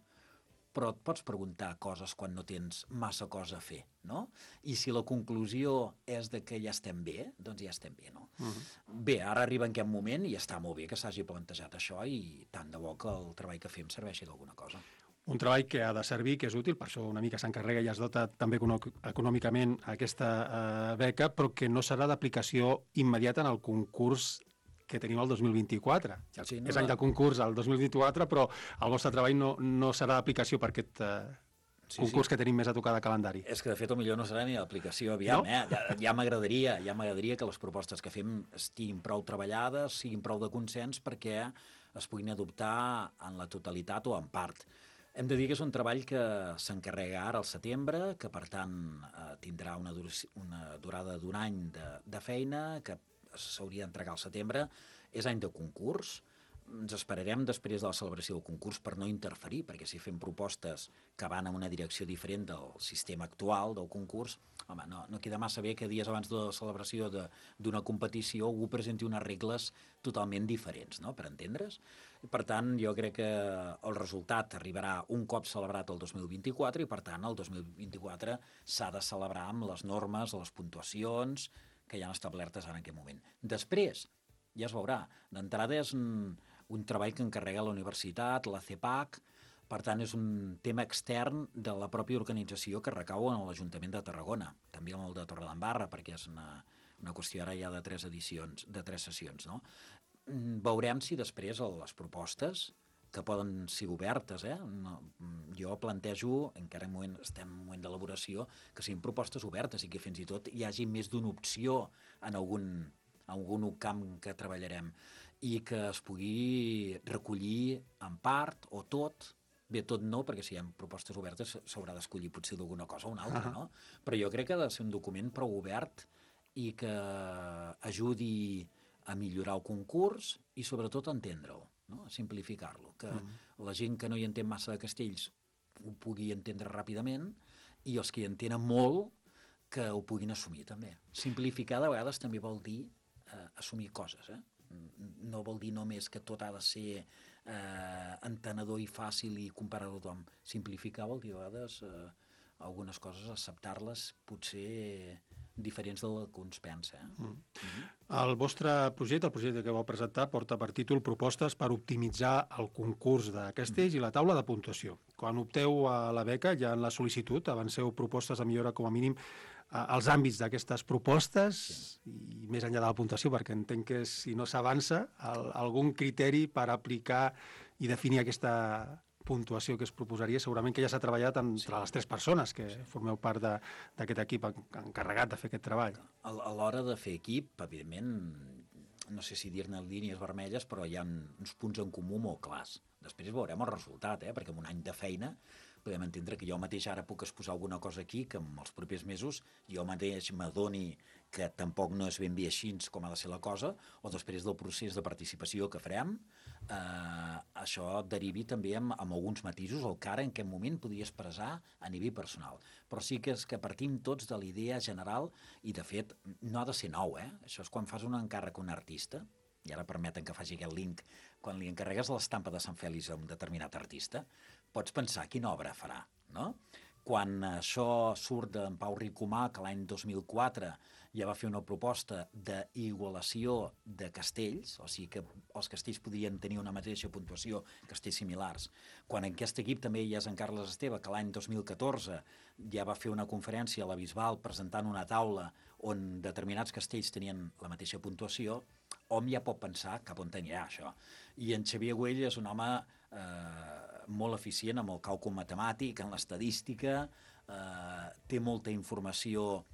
però et pots preguntar coses quan no tens massa cosa a fer, no? I si la conclusió és de que ja estem bé, doncs ja estem bé, no? Uh-huh. Bé, ara arriba en aquest moment i està molt bé que s'hagi plantejat això i tant de bo que el treball que fem serveixi d'alguna cosa. Un treball que ha de servir, que és útil, per això una mica s'encarrega i es dota també econòmicament aquesta eh, beca, però que no serà d'aplicació immediata en el concurs que tenim el dos mil vint-i-quatre. Sí, no, és any de concurs el dos mil vint-i-quatre, però el vostre treball no, no serà d'aplicació per aquest eh, sí, concurs sí. que tenim més a tocar de calendari. És que, de fet, millor no serà ni d'aplicació, aviam, no? eh? Ja, ja m'agradaria, ja m'agradaria que les propostes que fem estiguin prou treballades, siguin prou de consens perquè es puguin adoptar en la totalitat o en part. Hem de dir que és un treball que s'encarrega ara al setembre, que, per tant, eh, tindrà una, dur una durada d'un any de, de feina, que s'hauria d'entregar al setembre. És any de concurs. ens esperarem després de la celebració del concurs per no interferir, perquè si fem propostes que van en una direcció diferent del sistema actual del concurs, home, no, no queda massa bé que dies abans de la celebració d'una competició algú presenti unes regles totalment diferents, no?, per entendre's. Per tant, jo crec que el resultat arribarà un cop celebrat el dos mil vint-i-quatre i, per tant, el dos mil vint-i-quatre s'ha de celebrar amb les normes, les puntuacions que ja han establertes ara en aquest moment. Després, ja es veurà, d'entrada és un, un treball que encarrega la universitat, la C E P A C, per tant és un tema extern de la pròpia organització que recau en l'Ajuntament de Tarragona, també amb el de Torredembarra, perquè és una, una qüestió ara ja de tres edicions, de tres sessions, no? Veurem si després les propostes, que poden ser obertes, eh? No, jo plantejo, encara en moment, estem en moment d'elaboració, que siguin propostes obertes i que fins i tot hi hagi més d'una opció en algun, algun camp que treballarem i que es pugui recollir en part o tot. Bé, tot no, perquè si hi ha propostes obertes s'haurà d'escollir potser d'alguna cosa o una altra, no? Però jo crec que ha de ser un document prou obert i que ajudi a millorar el concurs i sobretot a entendre'l, no?, a simplificar-lo, que mm. la gent que no hi entén massa de castells ho pugui entendre ràpidament i els que hi entenen molt que ho puguin assumir també. Simplificar de vegades també vol dir eh, assumir coses, eh? No vol dir només que tot ha de ser eh, entenedor i fàcil i comparar a tothom. Simplificar vol dir a vegades eh, algunes coses, acceptar-les potser diferents del que uns pensa. Eh? Mm. Mm-hmm. El vostre projecte, el projecte que vau presentar, porta per títol Propostes per optimitzar el concurs de castells mm. i la taula de puntuació. Quan opteu a la beca, ja en la sol·licitud, avanceu propostes de millora com a mínim als àmbits d'aquestes propostes sí. i més enllà de la puntuació, perquè entenc que si no s'avança, algun criteri per aplicar i definir aquesta puntuació que es proposaria, segurament que ja s'ha treballat entre sí. les tres persones que sí. formeu part d'aquest equip encarregat de fer aquest treball. A l'hora de fer equip, evidentment, no sé si dir-ne línies vermelles, però hi ha uns punts en comú molt clars. Després veurem el resultat, eh? Perquè amb un any de feina podem entendre que jo mateix ara puc exposar alguna cosa aquí que en els propers mesos jo mateix m'adoni que tampoc no és ben bé així com ha de ser la cosa, o després del procés de participació que farem, eh, això derivi també amb, amb alguns matisos, el que ara en aquest moment podria expressar a nivell personal. Però sí que és que partim tots de la idea general i, de fet, no ha de ser nou, eh? Això és quan fas un encàrrec a un artista, i ara permeten que faci aquest link, quan li encarregues l'estampa de Sant Fèlix a un determinat artista, pots pensar quina obra farà, no? Quan això surt d'en Pau Ricomà, que l'any dos mil quatre ja va fer una proposta d'igualació de castells, o sigui que els castells podrien tenir una mateixa puntuació, castells similars. Quan en aquest equip també hi és en Carles Esteve, que l'any dos mil catorze ja va fer una conferència a la Bisbal presentant una taula on determinats castells tenien la mateixa puntuació, hom ja pot pensar cap on anirà això. I en Xavier Güell és un home eh, molt eficient amb el càlcul matemàtic, en l'estadística, eh, té molta informació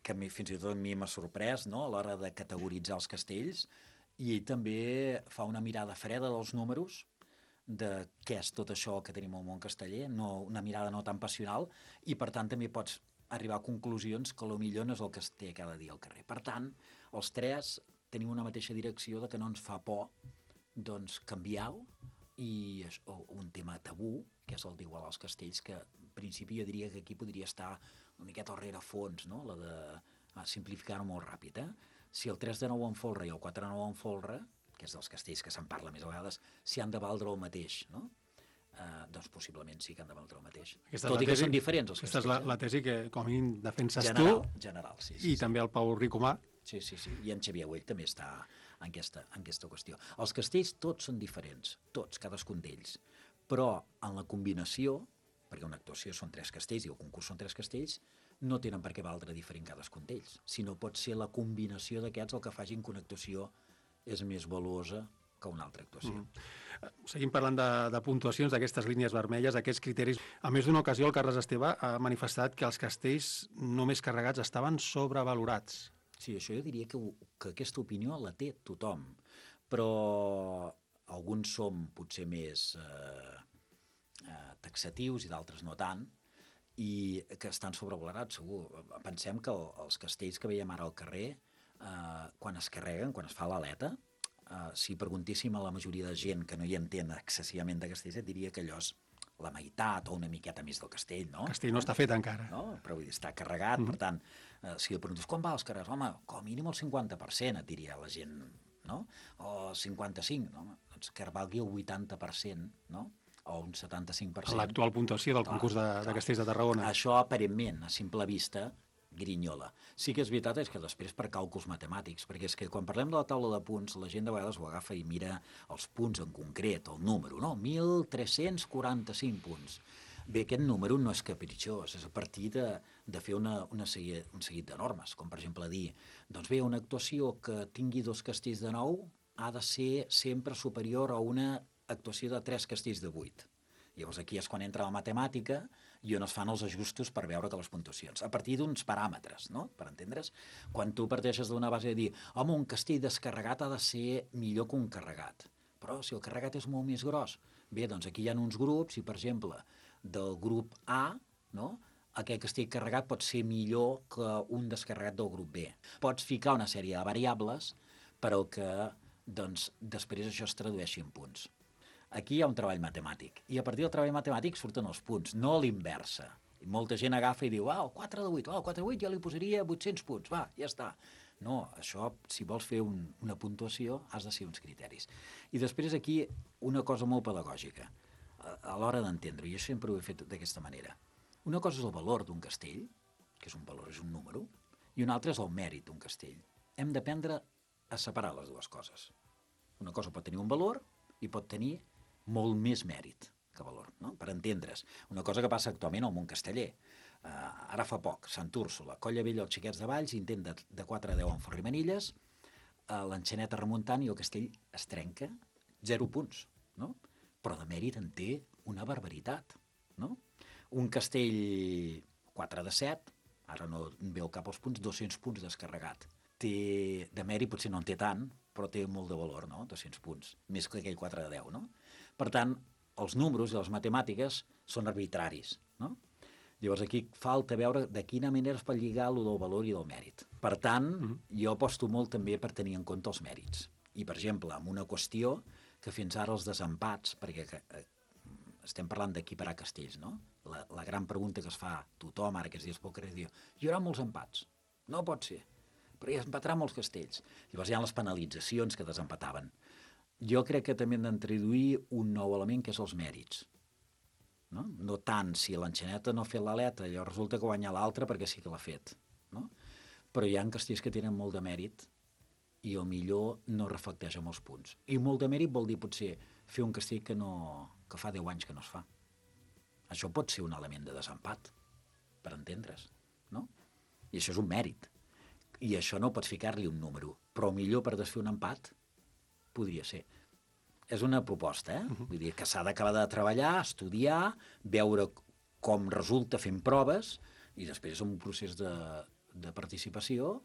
que mi, fins i tot a mi m'ha sorprès, no?, a l'hora de categoritzar els castells, i ell també fa una mirada freda dels números, de què és tot això que tenim al món casteller, no, una mirada no tan passional, i per tant també pots arribar a conclusions que potser no és el que es té cada dia al carrer. Per tant, els tres tenim una mateixa direcció de que no ens fa por doncs, canviar-ho, i és un tema tabú, que és el d'igualar els castells, que en principi jo diria que aquí podria estar una miqueta al rerefons, no?, la de ah, simplificar-ho molt ràpid. Eh? Si el tres de nou en folre i el quatre de nou en folre, que és dels castells que se'n parla més a vegades, si han de valdre el mateix, no? Uh, doncs possiblement sí que han de valdre el mateix. Aquesta Tot i que tesi, són diferents els aquesta castells. Aquesta és la, la tesi que com a mínim defenses general, tu, general, sí, sí, i sí. també el Pau Ricomà. Sí, sí, sí, i en Xavier Güell també està en aquesta, en aquesta qüestió. Els castells tots són diferents, tots, cadascun d'ells, però en la combinació, perquè una actuació són tres castells i el concurs són tres castells, no tenen per què valdre diferent cadascun d'ells, sinó pot ser la combinació d'aquests el que facin que una actuació és més valuosa que una altra actuació. Mm. Seguim parlant de, de puntuacions, d'aquestes línies vermelles, d'aquests criteris. A més d'una ocasió, el Carles Esteve ha manifestat que els castells només carregats estaven sobrevalorats. Sí, això jo diria que, que aquesta opinió la té tothom, però alguns som potser més eh, eh, taxatius i d'altres no tant, i que estan sobrevalorats, segur. Pensem que el, els castells que veiem ara al carrer, eh, quan es carreguen, quan es fa l'aleta, uh, si preguntéssim a la majoria de gent que no hi entén excessivament de castells, et diria que allò és la meitat o una miqueta més del castell, no? El castell no està fet encara. No? Però vull dir, està carregat, mm. per tant, eh, si li preguntes com va els carrers, home, com a mínim el cinquanta per cent, et diria la gent, no? O cinquanta-cinc, no? Doncs que valgui el vuitanta per cent, no? O un setanta-cinc per cent. L'actual puntuació del clar, concurs de, de castells de Tarragona. Això, aparentment, a simple vista, grinyola. Sí que és veritat és que després per càlculs matemàtics, perquè és que quan parlem de la taula de punts, la gent de vegades ho agafa i mira els punts en concret, el número, no? mil tres-cents quaranta-cinc punts. Bé, aquest número no és capritxós, és a partir de, de fer una, una segui, un seguit de normes, com per exemple dir, doncs bé, una actuació que tingui dos castells de nou ha de ser sempre superior a una actuació de tres castells de vuit. Llavors aquí és quan entra la matemàtica i on es fan els ajustos per veure que les puntuacions, a partir d'uns paràmetres, no? Per entendre's? Quan tu parteixes d'una base de dir, home, un castell descarregat ha de ser millor que un carregat, però si el carregat és molt més gros, bé, doncs aquí hi ha uns grups i, per exemple, del grup A, no? Aquest castell carregat pot ser millor que un descarregat del grup B. Pots ficar una sèrie de variables per al que doncs, després això es tradueixi en punts. Aquí hi ha un treball matemàtic, i a partir del treball matemàtic surten els punts, no a l'inversa. I molta gent agafa i diu, ah, el quatre de vuit, ah, el quatre de vuit jo li posaria vuit-cents punts, va, ja està. No, això, si vols fer un, una puntuació, has de ser uns criteris. I després aquí una cosa molt pedagògica, a, a l'hora d'entendre, i jo sempre ho he fet d'aquesta manera. Una cosa és el valor d'un castell, que és un valor, és un número, i una altra és el mèrit d'un castell. Hem d'aprendre a separar les dues coses. Una cosa pot tenir un valor i pot tenir molt més mèrit que valor, no? Per entendre's. Una cosa que passa actualment al món casteller. Uh, ara fa poc, Sant Úrsula, Colla Vella, els xiquets de Valls, intent de, de quatre a deu en Forrimanilles, uh, l'enxaneta remuntant i el castell es trenca, zero punts, no? Però de mèrit en té una barbaritat, no? Un castell quatre de set, ara no em veu cap als punts, dos-cents punts descarregat. Té, de mèrit potser no en té tant, però té molt de valor, no? dos-cents punts, més que aquell quatre de deu, no? Per tant, els números i les matemàtiques són arbitraris, no? Llavors aquí falta veure de quina manera es pot lligar allò del valor i del mèrit. Per tant, mm-hmm. jo aposto molt també per tenir en compte els mèrits. I, per exemple, amb una qüestió que fins ara els desempats, perquè eh, estem parlant d'equiparar castells, no? La, la gran pregunta que es fa tothom ara aquests dies pel carrer diu, hi haurà molts empats. No pot ser, però hi empatarà molts castells. Llavors hi ha les penalitzacions que desempataven. Jo crec que també hem d'introduir un nou element que és els mèrits. No, no tant si l'enxaneta no ha fet l'aleta, llavors resulta que guanya l'altre perquè sí que l'ha fet. No? Però hi ha castells que tenen molt de mèrit i el millor no reflecteix amb els punts. I molt de mèrit vol dir potser fer un castell que, no, que fa deu anys que no es fa. Això pot ser un element de desempat, per entendre's. No? I això és un mèrit. I això no pots ficar-li un número. Però millor per desfer un empat podria ser. És una proposta, eh? Uh-huh. Vull dir que s'ha d'acabar de treballar, estudiar, veure com resulta fent proves i després un procés de, de participació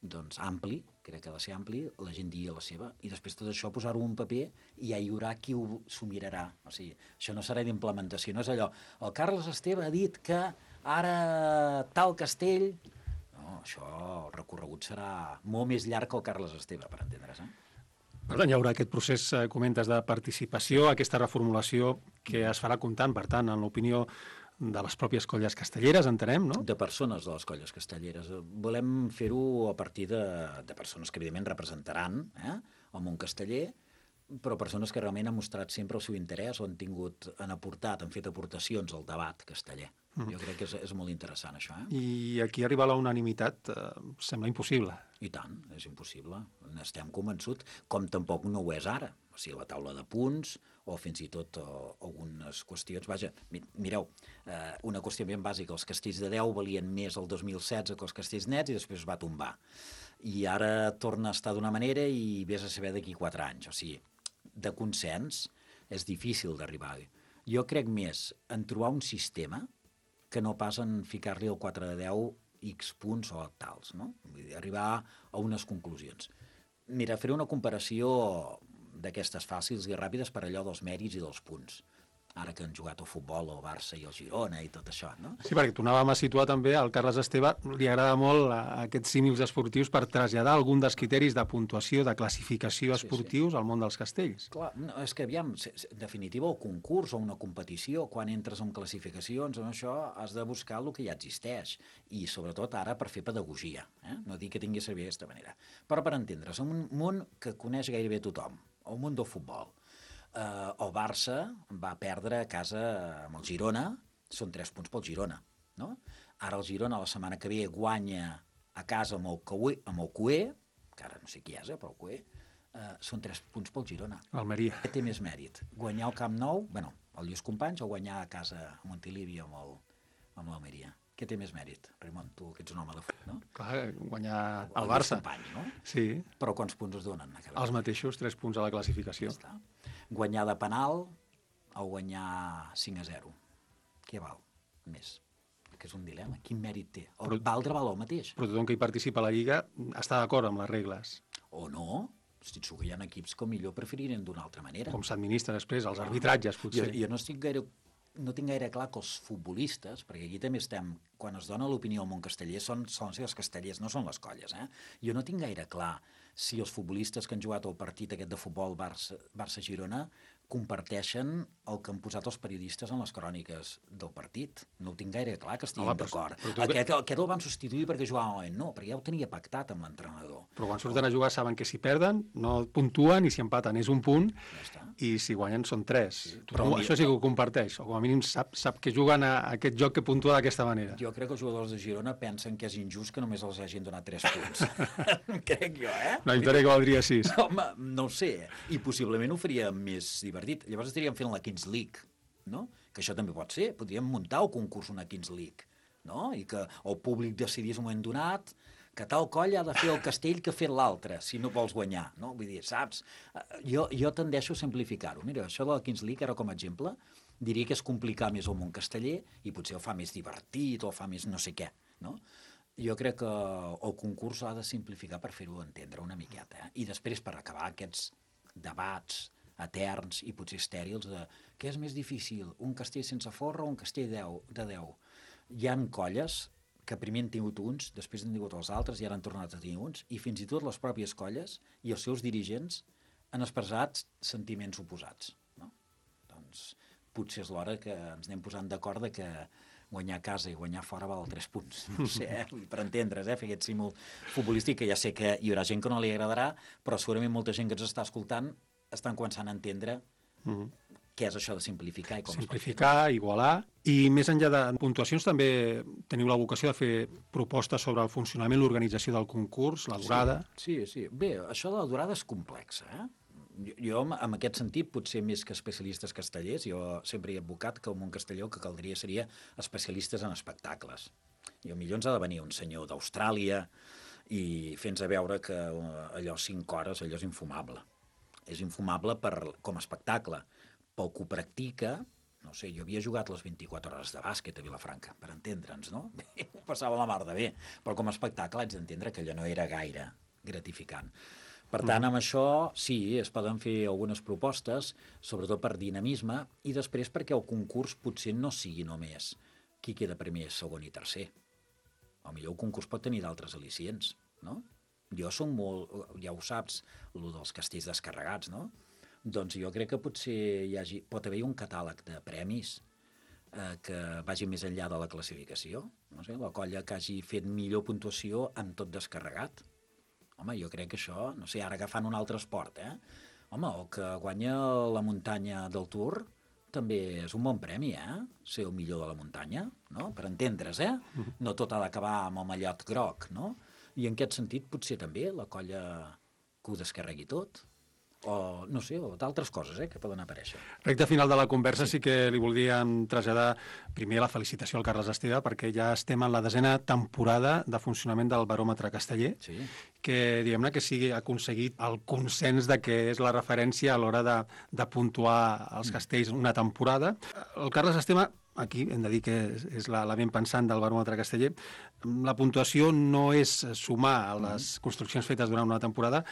doncs ampli, crec que ha de ser ampli, la gent digui la seva, i després tot això posar-ho en paper i ja hi haurà qui s'ho mirarà. O sigui, això no serà d'implementació, no és allò, el Carles Esteve ha dit que ara tal castell... No, això, el recorregut serà molt més llarg que el Carles Esteve, per entendre's, eh? Per tant, hi haurà aquest procés, eh, comentes, de participació, aquesta reformulació que es farà comptant, per tant, en l'opinió de les pròpies colles castelleres, entenem, no? De persones de les colles castelleres. Volem fer-ho a partir de, de persones que, evidentment, representaran eh, el món casteller, però persones que realment han mostrat sempre el seu interès o han tingut, han aportat, han fet aportacions al debat casteller. Mm. Jo crec que és, és molt interessant, això. Eh? I aquí arribar a la unanimitat eh, sembla impossible. I tant, és impossible. N'estem convençuts, com tampoc no ho és ara. O sigui, la taula de punts, o fins i tot o, algunes qüestions... Vaja, mireu, eh, una qüestió ben bàsica, els castells de deu valien més el dos mil setze que els castells nets i després es va tombar. I ara torna a estar d'una manera i vés a saber d'aquí quatre anys. O sigui, de consens és difícil d'arribar. Jo crec més en trobar un sistema que no pas en ficar-li el quatre de deu X punts o tals, no? Vull dir, arribar a unes conclusions. Mira, faré una comparació d'aquestes fàcils i ràpides per allò dels mèrits i dels punts. ara que han jugat al futbol, el Barça i el Girona i tot això, no? Sí, perquè tornàvem a situar també al Carles Esteve, li agrada molt aquests símils esportius per traslladar algun dels criteris de puntuació, de classificació esportius sí, sí. al món dels castells. Clar, no, és que aviam, en definitiva, el concurs o una competició, quan entres en classificacions o això, has de buscar el que ja existeix, i sobretot ara per fer pedagogia, eh? No dic que tingui a servir d'aquesta manera, però per entendre's, en un món que coneix gairebé tothom, el món del futbol, Uh, el Barça va perdre a casa amb el Girona, són tres punts pel Girona, no? Ara el Girona la setmana que ve guanya a casa amb el Cué, amb el Cué, que ara no sé qui és, eh, però el Cué, uh, són tres punts pel Girona. Almeria. Què té més mèrit? Guanyar al Camp Nou, bueno, el Lluís Companys, o guanyar a casa a Montilivi amb el, amb l'Almeria? Què té més mèrit? Ramon, tu que ets un home de futbol, no? Clar, guanyar el, el Barça. Companys, no? Sí. Però quants punts es donen? Els mateixos, tres punts a la classificació. Ja està. Guanyar de penal o guanyar cinc a zero. Què val més? Que és un dilema. Quin mèrit té? O però, valdre val el mateix? Però tothom que hi participa a la Lliga està d'acord amb les regles. O no? Estic segur que hi ha equips que millor preferirien d'una altra manera. Com s'administra després, els arbitratges, potser. Jo, jo no estic gaire... no tinc gaire clar que els futbolistes, perquè aquí també estem, quan es dona l'opinió al món casteller, són, són els castellers, no són les colles, eh? Jo no tinc gaire clar si els futbolistes que han jugat el partit aquest de futbol Barça-Girona comparteixen el que han posat els periodistes en les cròniques del partit. No ho tinc gaire clar que estiguin d'acord. Aquest, aquest el van substituir perquè jugava no, perquè ja ho tenia pactat amb l'entrenador. Però quan surten a jugar saben que si perden no puntuen i si empaten és un punt ja i si guanyen són tres. Sí, però això sí que ho comparteix, o com a mínim sap, sap que juguen a aquest joc que puntua d'aquesta manera. Jo crec que els jugadors de Girona pensen que és injust que només els hagin donat tres punts. Crec jo, eh? La victòria que valdria sis. Home, no ho sé. I possiblement ho faria més divertit. Llavors estaríem fent la Kings League, no? Que això també pot ser. Podríem muntar el concurs una Kings League, no? I que el públic decidís un moment donat que tal colla ha de fer el castell que ha fet l'altre, si no vols guanyar, no? Vull dir, saps? Jo, jo tendeixo a simplificar-ho. Mira, això de la Kings League, ara com a exemple, diria que és complicar més el món casteller i potser el fa més divertit o el fa més no sé què, no? Jo crec que el concurs ha de simplificar per fer-ho entendre una miqueta, eh? I després, per acabar aquests debats eterns i potser estèrils de què és més difícil, un castell sense forra o un castell de deu. Hi ha colles que primer han tingut uns, després han tingut els altres i ara han tornat a tenir uns, i fins i tot les pròpies colles i els seus dirigents han expressat sentiments oposats, no? Doncs potser és l'hora que ens anem posant d'acord de que guanyar a casa i guanyar fora val tres punts. No sé, eh? Per entendre's, eh? Fer aquest símbol futbolístic, que ja sé que hi haurà gent que no li agradarà, però segurament molta gent que ens està escoltant estan començant a entendre mm-hmm. què és això de simplificar i com simplificar, igualar, i més enllà de puntuacions també teniu la vocació de fer propostes sobre el funcionament, l'organització del concurs, la durada... Sí, sí, sí. Bé, això de la durada és complexa, eh? Jo, jo, en aquest sentit, potser més que especialistes castellers, jo sempre he advocat que el món casteller el que caldria seria especialistes en espectacles. I potser ens ha de venir un senyor d'Austràlia i fer-nos veure que allò cinc hores, allò és infumable. És infumable per, com a espectacle. Pel que ho practica, no sé, jo havia jugat les vint-i-quatre hores de bàsquet a Vilafranca, per entendre'ns, no? Ho passava la mar de bé, però com a espectacle haig d'entendre que allò no era gaire gratificant. Per tant, amb això, sí, es poden fer algunes propostes, sobretot per dinamisme, i després perquè el concurs potser no sigui només qui queda primer, segon i tercer. O millor el concurs pot tenir d'altres al·licients, no? Jo som molt, ja ho saps, el dels castells descarregats, no? Doncs jo crec que potser hi hagi, pot haver un catàleg de premis eh, que vagi més enllà de la classificació. No sé, la colla que hagi fet millor puntuació amb tot descarregat. Home, jo crec que això, no sé, ara agafant un altre esport, eh? Home, el que guanya la muntanya del Tour també és un bon premi, eh? Ser el millor de la muntanya, no? Per entendre's, eh? No tot ha d'acabar amb el mallot groc, no? I en aquest sentit potser també la colla que ho descarregui tot, o no sé, o d'altres coses eh, que poden aparèixer. Recte final de la conversa sí, sí que li volíem traslladar primer la felicitació al Carles Esteve perquè ja estem en la desena temporada de funcionament del baròmetre casteller, sí. que diguem-ne que sigui aconseguit el consens de que és la referència a l'hora de, de puntuar els castells una temporada. El Carles Esteve aquí hem de dir que és la, la ben pensant del baròmetre casteller, la puntuació no és sumar a les construccions fetes durant una temporada,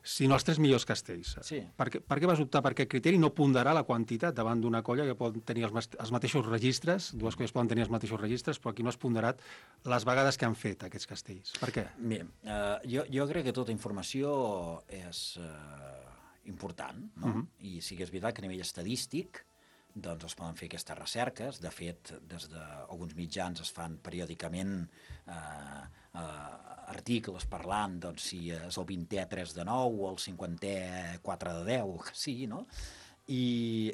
sinó els tres millors castells. Sí. Per què, per què vas optar per aquest criteri? No ponderar la quantitat davant d'una colla que pot tenir els, els mateixos registres, dues colles poden tenir els mateixos registres, però aquí no has ponderat les vegades que han fet aquests castells. Per què? Bé, uh, jo, jo crec que tota informació és uh, important, no? Uh-huh. I sí que és veritat que a nivell estadístic doncs es poden fer aquestes recerques. De fet, des d'alguns mitjans es fan periòdicament eh, eh, articles parlant doncs, si és el vintè tres de nou o el cinquantè quatre de deu, que sigui, no? I,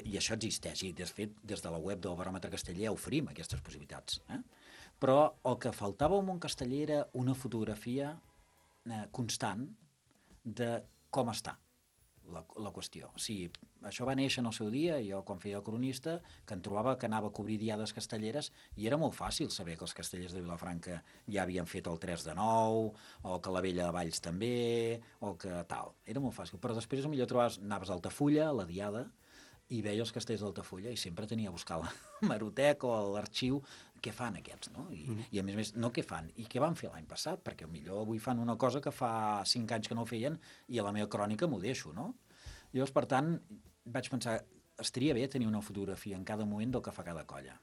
i això existeix. I, de fet, des de la web del Baròmetre Casteller oferim aquestes possibilitats. Eh? Però el que faltava al món casteller era una fotografia eh, constant de com està La, la qüestió. O sigui, això va néixer en el seu dia, jo quan feia el cronista, que em trobava que anava a cobrir diades castelleres i era molt fàcil saber que els castellers de Vilafranca ja havien fet el tres de nou, o que la Vella de Valls també, o que tal. Era molt fàcil. Però després millor trobaves, anaves a Altafulla, a la diada, i veia els castells d'Altafulla i sempre tenia a buscar la Marotec o l'arxiu què fan aquests, no? I, mm. i a més a més, no què fan, i què van fer l'any passat, perquè millor avui fan una cosa que fa cinc anys que no feien i a la meva crònica m'ho deixo, no? Llavors, per tant, vaig pensar, estaria bé tenir una fotografia en cada moment del que fa cada colla.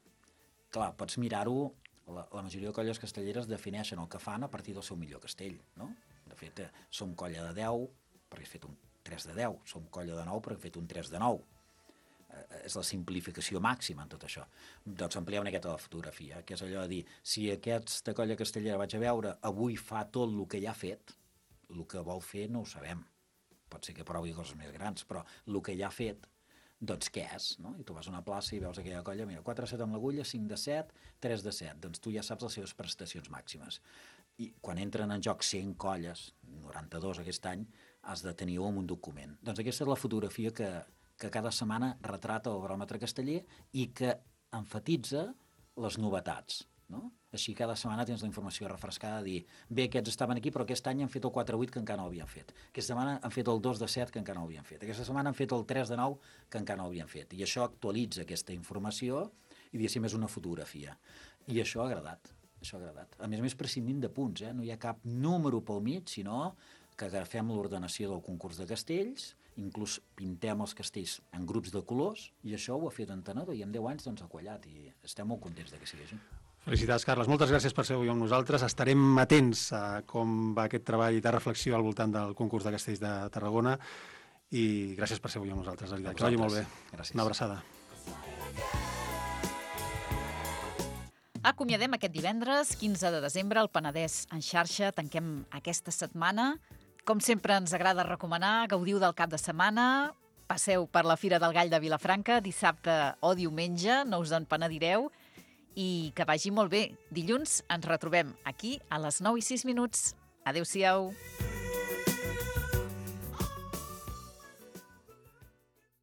Clar, pots mirar-ho, la, la majoria de colles castelleres defineixen el que fan a partir del seu millor castell, no? De fet, eh, som colla de deu perquè has fet un tres de deu, som colla de nou perquè has fet un tres de nou. És la simplificació màxima en tot això. Doncs ampliem una miqueta la fotografia, que és allò de dir, si aquesta colla castellera vaig a veure avui fa tot el que ja ha fet, el que vol fer no ho sabem. Pot ser que provi coses més grans, però el que ja ha fet, doncs què és? No? I tu vas a una plaça i veus aquella colla, mira, quatre de set amb l'agulla, cinc de set, tres de set. Doncs tu ja saps les seves prestacions màximes. I quan entren en joc cent colles, noranta-dos aquest any, has de tenir-ho en un document. Doncs aquesta és la fotografia que que cada setmana retrata el baròmetre casteller i que enfatitza les novetats. No? Així cada setmana tens la informació refrescada de dir, bé, aquests estaven aquí, però aquest any han fet el quatre vuit que encara no havien fet. Aquesta setmana han fet el dos de set que encara no havien fet. Aquesta setmana han fet el tres de nou que encara no havien fet. I això actualitza aquesta informació i, diguéssim, és una fotografia. I això ha agradat. Això ha agradat. A més a més, prescindint de punts, eh? No hi ha cap número pel mig, sinó que agafem l'ordenació del concurs de castells, inclús pintem els castells en grups de colors, i això ho ha fet Entenedor, i en deu anys doncs, ha quallat, i estem molt contents de que sigui així. Felicitats, Carles. Moltes gràcies per ser avui amb nosaltres. Estarem atents a com va aquest treball de reflexió al voltant del concurs de castells de Tarragona, i gràcies per ser avui amb nosaltres, de veritat. Que vagi molt bé. Gràcies. Una abraçada. Acomiadem aquest divendres, quinze de desembre, al Penedès en xarxa. Tanquem aquesta setmana. Com sempre ens agrada recomanar, gaudiu del cap de setmana, passeu per la Fira del Gall de Vilafranca dissabte o diumenge, no us en penedireu, i que vagi molt bé. Dilluns ens retrobem aquí a les nou i sis minuts. Adéu-siau.